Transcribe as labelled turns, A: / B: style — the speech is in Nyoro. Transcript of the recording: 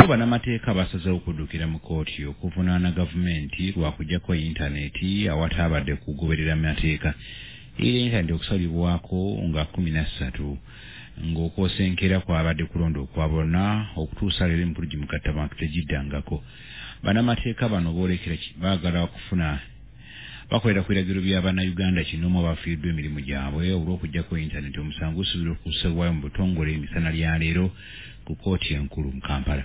A: Bo bannamateeka basazeewo okuddukira mu kkooti okuvunaana gavumenti lwa kuggyako yintaneeti awataabadde kugoberera mateeka. Era yintaneeti okusalibwako nga 13 ng'okwosa enkeera kwabadde kulonda okwa bonna okutuusa leero emikulu gimugattabantu tegiddangako. Bannamateeka bano boolekera baagala kufuna bakolera ku biragiro bya Bannayuganda kinoomu abafiiriddwa emirimu gyabwe olw'okuggyako yintaneeti. Omusango gusuubirwa okussibwayo mu butongole emisana lya leero ku kkooti enkulu mu Kampala.